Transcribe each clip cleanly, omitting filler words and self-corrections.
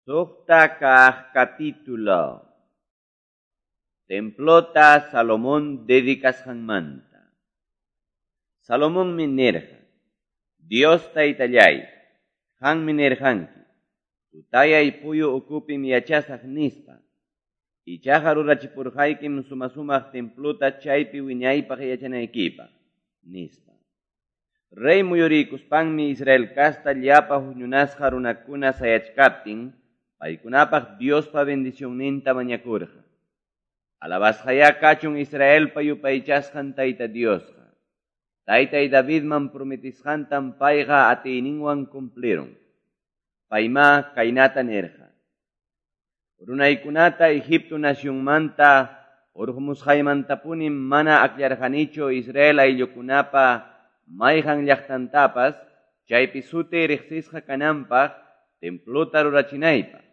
Suqta kaq capítulo. Templota Salomón dedicasqanmanta. Salomonmi nirqa: Dios Taytallay, qanmi nirqanki, tutayay puyu ukupim yachasaq nispa. Ichaqa rurachipurqaykim suma-sumaq templota chaypi wiñaypaq yachanaykipaq, nispa. Rey muyuriykuspanmi Israel casta llapa huñunasqa runakuna sayachkaptin, paykunapaq Diospa bendicionninta mañakurqa. Alabasqayá kachun Israelpa yupaychasqan Tayta Diosqa. Taytay Davidman prometisqantam payqa atiyninwan cumplirun. Paymá kaynata nirqa: Runaykunata Egipto nacionmanta hurqumusqaymantapunim mana akllarqanichu Israel ayllukunapa mayqan llaqtantapas chaypi sutiy riqsisqa kananpaq templota rurachinaypaq.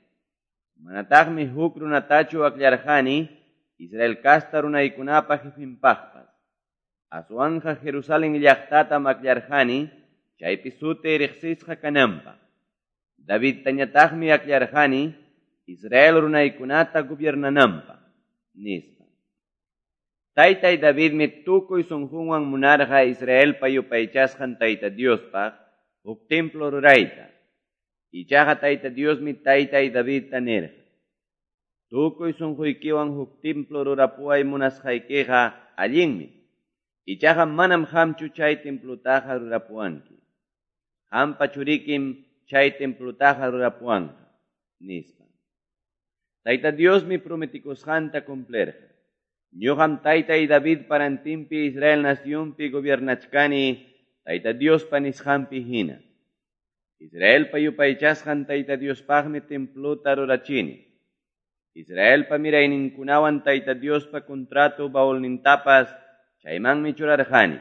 Manataqmi huk runatachu akllarqani Israel casta runaykunapa jefinpaqpas. Aswanqa Jerusalén llaqtatam akllarqani chaypi sutiy riqsisqa kananpaq. Davidtañataqmi akllarqani Israel runaykunata gobiernananpaq, nispa. Taytay Davidmi tukuy sunqunwan munarqa Israelpa yupaychasqan Tayta Diospaq huk templo rurayta. Ichaqa Tayta Diosmi taytay Davidta nirqa: Tukuy sunquykiwan huk templo rurapuway munasqaykiqa allinmi. Ichaqa manam qamchu chay templotaqa rurapuwanki. Qampa churikim chay templotaqa rurapuwanqa, nispa. Tayta Diosmi prometikusqanta cumplirqa. Ñuqam taytay Davidpa rantinpi Israel nacionpi gobiernachkani Tayta Diospa nisqanpi hina. Israelpa yupaychasqan Tayta Diospaqmi templota rurachini. Israelpa mirayninkunawan Tayta Diospa contrato baulnintapas chaymanmi churarqani,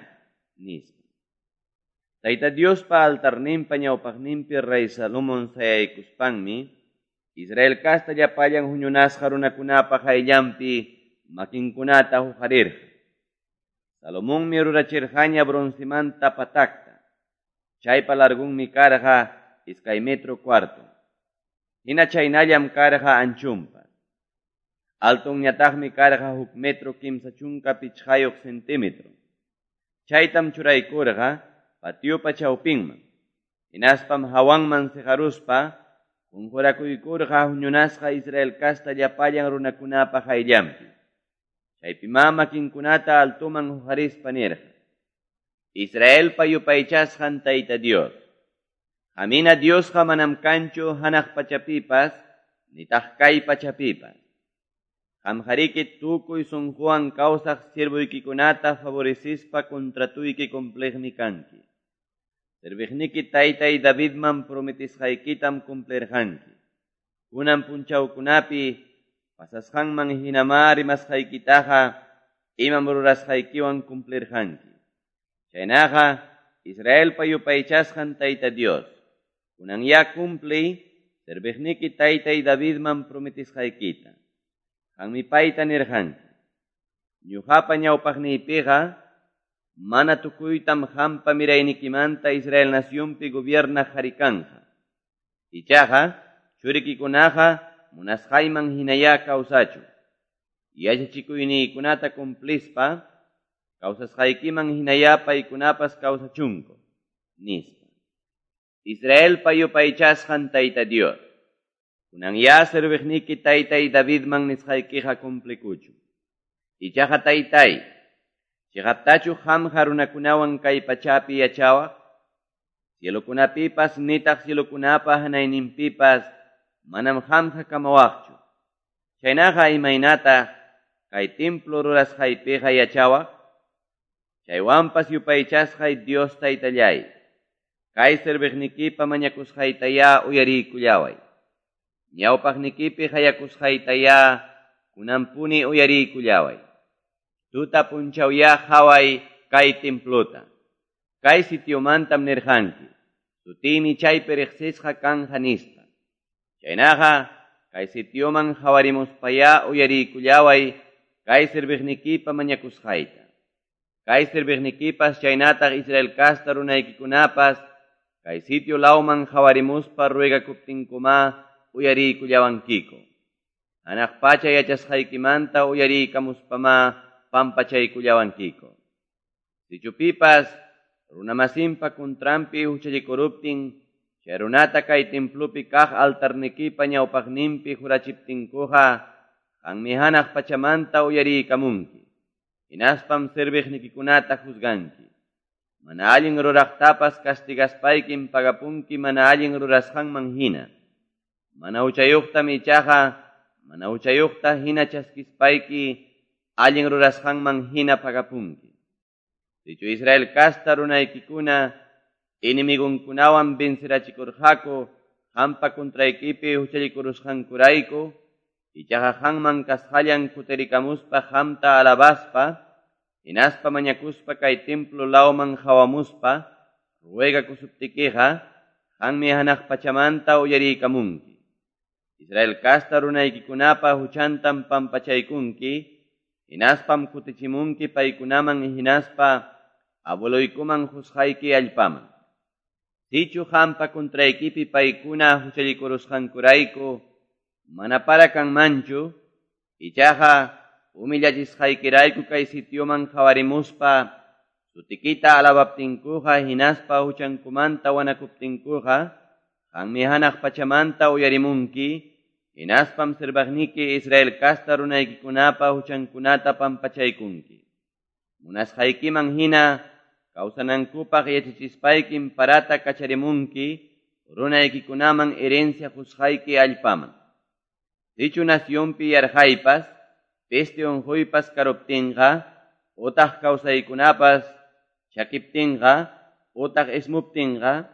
nispa. Tayta Diospa altarninpa ñawpaqninpi rey Salomón sayaykuspanmi Israel casta llapallan huñunasqa runakunapa qayllanpi makinkunata huqarirqa. Salomonmi rurachirqaña broncemanta patakta. Chaypa largunmi karqa 2.25 metros. Hina chaynallam karqa anchunpas. Altonñataqmi karqa 1 metro 35 centímetro. Chaytam churaykurqa patiopa chawpinman. Hinaspam hawanman siqaruspa qunqurakuykurqa huñunasqa Israel casta llapallan runakunapa qayllanpi. Chaypimá makinkunata altoman huqarispa nirqa: Israelpa yupaychasqan Tayta Dios, qamhina Diosqa manam kanchu hanaq pachapipas, nitaq kay pachapipas. Qamqariki tukuy sunquwan kawsaq siervoykikunata favorecispa contratuyki cumpliqmi kanki. Serviqniki taytay Davidman prometisqaykitam cumplirqanki. Kunan punchawkunapi pasasqanman hinamá rimasqaykitaqa imam rurasqaykiwan cumplirqanki. Chaynaqa Israelpa yupaychasqan Tayta Dios, kunanyá cumpliy serviqniki taytay Davidman prometisqaykita. Qanmi payta nirqanki: Ñuqapa ñawpaqniypiqa mana tukuytam qampa miraynikimanta Israel nacionpi gobiernaq qhari kanqa. Ichaqa churikikunaqa munasqayman hinayá kawsachun. Yachachikuyniykunata cumplispa kawsasqaykiman hinayá paykunapas kawsachunku, nispa. Israelpa yupaychasqan Tayta Dios, kunanyá serviqniki taytay Davidman nisqaykiqa cumplikuchun. Ichaqa taytay, chiqaptachu qamqa runakunawan kay pachapi yachawaq? Cielokunapipas nitaq cielokunapa hanayninpipas manam qamqa kamawaqchu. Chaynaqa imaynataq kay templo rurasqaypiqa yachawaq? Chaywanpas yupaychasqay Dios Taytallay, kay serviqnikipa mañakusqaytayá uyariykullaway. Ñawpaqnikipi qayakusqaytayá kunanpuni uyariykullaway. Tuta punchawyá qhaway kay templota. Kay sitiomantam nirqanki, sutiymi chaypi riqsisqa kanja nispa. Chaynaqa kay sitioman qhawarimuspayá uyariykullaway kay serviqnikipa mañakusqayta. Kay serviqnikipas chaynataq Israel casta runaykikunapas kay sitio lawman qhawarimuspa ruegakuptinkumá uyariykullawankiku. Hanaq pacha yachasqaykimanta uyariykamuspamá pampachaykullawankiku. Sichu pipas runamasinpa kuntranpi huchallikuruptin, chay runata kay templopi kaq altarnikipa ñawpaqninpi jurachiptinkuqa, qanmi hanaq pachamanta uyariykamunki. Hinaspam serviqnikikunata juzganki. Mana allin ruraqtapas castigaspaykim pagapunki mana allin rurasqanman hina. Mana huchayuqtam ichaqa mana huchayuqta hina chaskispayki allin rurasqanman hina pagapunki. Sichu Israel kasta runaykikuna enemigunkunawan vencerachikurqaku qampa contraykipi huchallikurusqankurayku, ichaqa qanman kasqallan kutirikamuspa qamta alabaspa, hinaspa mañakuspa kay templo lawman hawamuspa, ruegakusuptikiqa, qanmi hanaq pachamanta uyariykamunki. Israel kasta runaykikunapa huchantam pampachaykunki, hinaspam kutichimunki paykunaman hinaspa abueloykuman husqayki allpaman. Sichu qampa contraykipi paykuna huchallikurusqankurayku, mana para kanmanchu, ichaqa humillachisqaykirayku kay sitioman qhawarimuspa, sutikita alabaptinkuqa hinaspa huchankumanta wanakuptinkuqa, qanmi hanaq pachamanta uyarimunki, hinaspam serviqniki Israel kasta runaykikunapa huchankunata pampachaykunki. Munasqaykiman hina kawsanankupaq yachachispaykim parata kacharimunki, runaykikunaman herencia qusqayki allpaman. Sichu nacionpi yarqaypas, peste unquypas karuptinqa, utaq kawsaykunapas chakiptinqa, utaq ismuptinqa,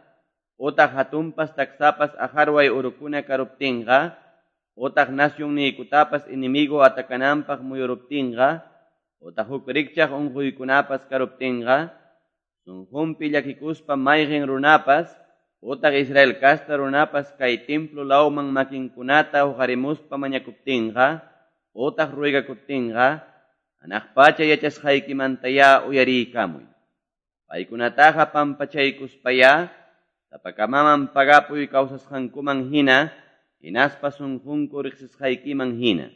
utaq hatunpas taksapas aqharway urukuna karuptinqa, utaq nacionniykutapas enemigo atakananpaq muyuruptinqa, utaq huk rikchaq unquykunapas karuptinqa, sunqunpi llakikuspa mayqin runapas, utaq Israel kasta runapas kay templo lawman makinkunata huqarimuspa mañakuptinqa, utaq ruegakuptinqa, hanaq pacha yachasqaykimantayá uyariykamuy. Paykunataqa pampachaykuspayá, sapakamaman pagapuy kawsasqankuman hina, hinaspa sunqunku riqsisqaykiman hina.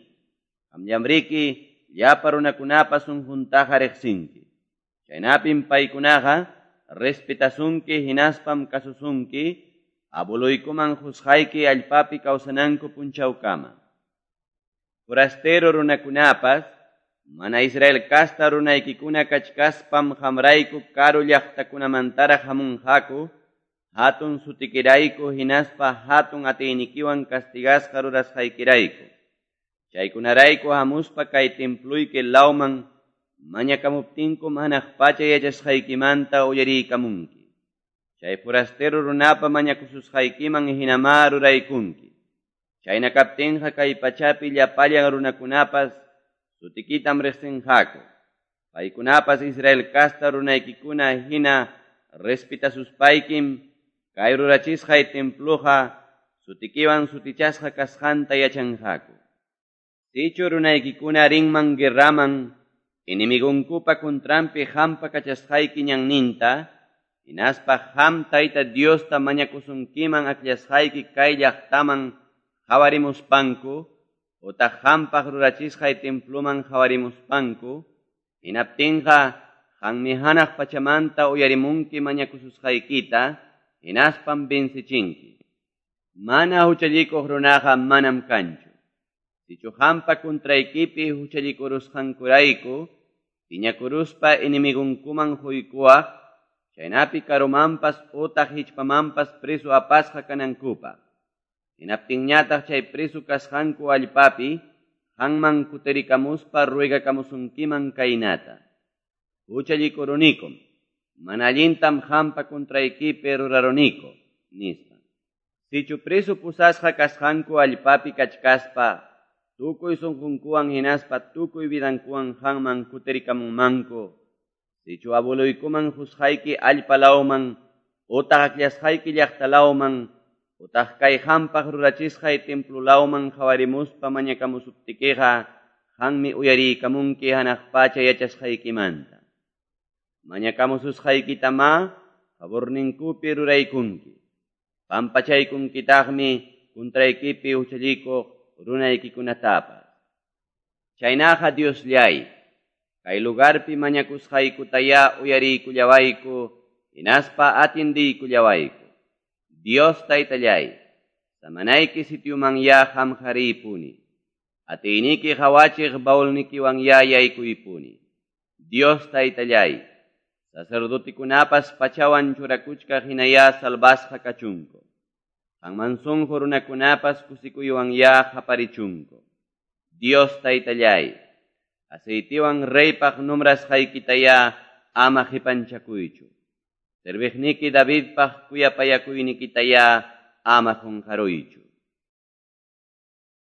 Qamllamriki llapa runakunapa sunquntaqa riqsinki. Chaynapim paykunaqa respetasunki hinaspam kasusunki, abueloykuman qusqayki allpapi kawsananku punchawkama. Forastero runakunapas, mana Israel kasta runaykikuna kachkaspam qamrayku karu llaqtakunamantaraq hamunqaku, hatun sutikirayku hinaspa hatun atiynikiwan castigasqa rurasqaykirayku. Chaykunarayku hamuspa kay temployki lawman mañakamuptinkum hanaq pacha yachasqaykimanta uyariykamunki. Chay forastero runapa mañakususqaykiman hinamá ruraykunki. Chayna kaptinqa kay pachapi llapallan runakunapas sutikitam riqsinqaku. Paykunapas Israel kasta runaykikuna hina respetasuspaykim kay rurachisqay temploqa sutikiwan sutichasqa kasqanta yachanqaku. Sichu runaykikuna rinman guerraman, enemigunkupa contranpi qampa kachasqayki ñanninta, hinaspa qam Tayta Diosta mañakusunkiman akllasqayki kay llaqtaman qhawarimuspanku, utaq qampaq rurachisqay temploman qhawarimuspanku, hinaptinqa qanmi hanaq pachamanta uyarimunki mañakususqaykita, hinaspam vencichinki. Mana huchallikuq runaqa manam kanchu. Sichu qampa contraykipi huchallikurusqankurayku, piñakuruspa enemigunkuman huykuwaq, chaynapi karumanpas utaq hichpamanpas preso apasqa kanankupaq. Hinaptinñataq chay preso kasqanku allpapi, qanman kutirikamuspa ruegakamusunkiman kaynata. Huchallikurunikum, mana allintam qampa contraykipi ruraruniku, nispa. Sichu preso pusasqa kasqanku allpapi kachkaspa, tukuy sunqunkuwan hinaspa tukuy vidankuwan qanman kutirikamunmanku. Sichu abueloykuman qusqayki allpa lawman, utaq akllasqayki llaqta lawman, utaq kay qampaq rurachisqay templo lawman qhawarimuspa mañakamusuptikiqa, qanmi uyariykamunki hanaq pacha yachasqaykimanta. Mañakamususqaykitamá favorninkupi ruraykunki. Pampachaykunkitaqmi contraykipi huchallikuq runaykikunatapas. Chaynaqa Dioslláy, kay lugarpi mañakusqaykutayá uyariykullawayku, hinaspa atiendiykullawayku. Dios Taytalláy, samanayki sitiomanyá qamqa riypuni. Atiyniki qawachiq baulnikiwanyá yaykuypuni. Dios Taytalláy, sacerdotikunapas pachawan churakuchkaq hinayá salvasqa kachunku. Qanman sunqu runakunapas kusikuywanyá qaparichunku. Dios Taytalláy, aceitiwan reypaq nombrasqaykitayá ama qipanchakuychu. Serviqniki Davidpaq kuyapayakuynikitayá ama qunqaruychu.